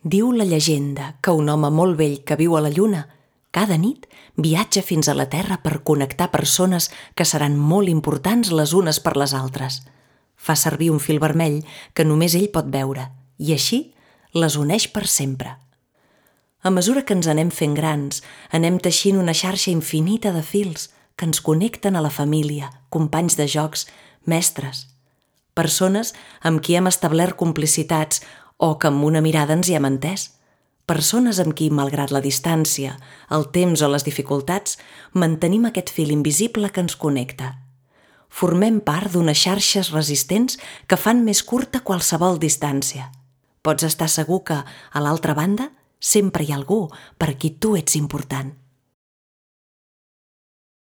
Diu la llegenda que un home molt vell que viu a la Lluna cada nit viatja fins a la Terra per connectar persones que seran molt importants les unes per les altres. Fa servir un fil vermell que només ell pot veure i així les uneix per sempre. A mesura que ens anem fent grans, anem teixint una xarxa infinita de fils que ens connecten a la família, companys de jocs, mestres, persones amb qui hem establert complicitats o que amb una mirada ens hi hem entès, persones amb qui, malgrat la distància, el temps o les dificultats, mantenim aquest fil invisible que ens connecta. Formem part d'unes xarxes resistents que fan més curta qualsevol distància. Pots estar segur que, a l'altra banda, sempre hi ha algú per qui tu ets important.